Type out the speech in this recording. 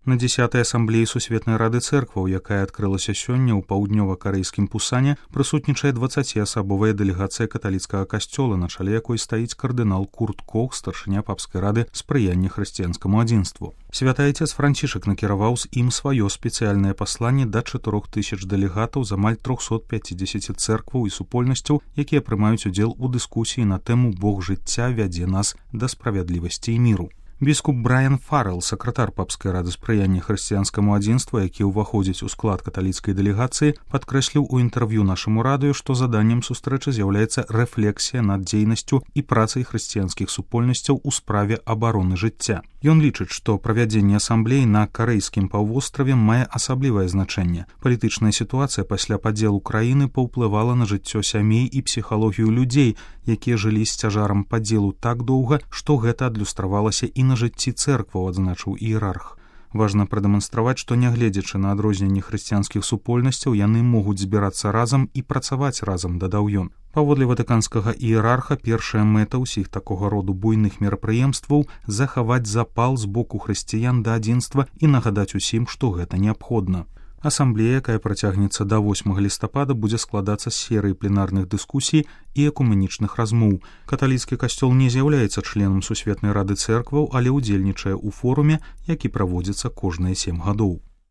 На 10-й асамблеі Сусветнай рады цэркваў, якая адкрылася сёння ў паўднёва-карэйскім Пусане, прысутнічае 20-асабовая дэлегацыя каталіцкага касцёла, на чале якой стаіць кардынал Курт Кох, старшыня папскай рады спрыяння хрысціянскаму адзінству. Святы Айцец Францішак накіраваў з ім сваё спецыяльнае пасланне да 4000 дэлегатаў з амаль 350 цэркваў і супольнасцяў, якія прымаюць удзел у дыскусіі на тэму «Бог жыцця вядзе нас да справядлівасці і міру». Біскуп Брайан Фаррелл, сакратар папскай рады спрыяння хрысціянскаму адзінству, які ўваходзіць у склад каталіцкай дэлегацыі, падкрэсліў у інтэрв'ю нашаму радыё, што заданнем сустрэчы з'яўляецца рэфлексія над дзейнасцю і працай хрысціянскіх супольнасцяў у справе абароны жыцця. Ён лічыць, што правядзенне асамблеі на карэйскім паўвостраве мае асаблівае значэнне. Палітычная сітуацыя пасля падзелу краіны паўплывала на жыццё сямей і псіхалогію людзей, якія жылі з цяжарам падзелу так доўга, што гэта адлюстравалася і на жыцці цэркваў, адзначыў іерарх. Важна прадэманстраваць, што нягледзячы на адрозненні хрысціянскіх супольнасцяў, яны могуць збірацца разам і працаваць разам, дадаў ён. Паводле ватыканскага іерарха, першая мэта ўсіх такога роду буйных мерапрыемстваў – захаваць запал з боку хрысціян да адзінства і нагадаць усім, што гэта неабходна. Асамблея, якая працягнецца да 8 лістапада, будзе складацца з серыі пленарных дыскусій і экуменічных размоў. Каталіцкі касцёл не з'яўляецца членам Сусветнай рады цэркваў, але ўдзельнічае ў форуме, які праводзіцца кожныя 7 гадоў.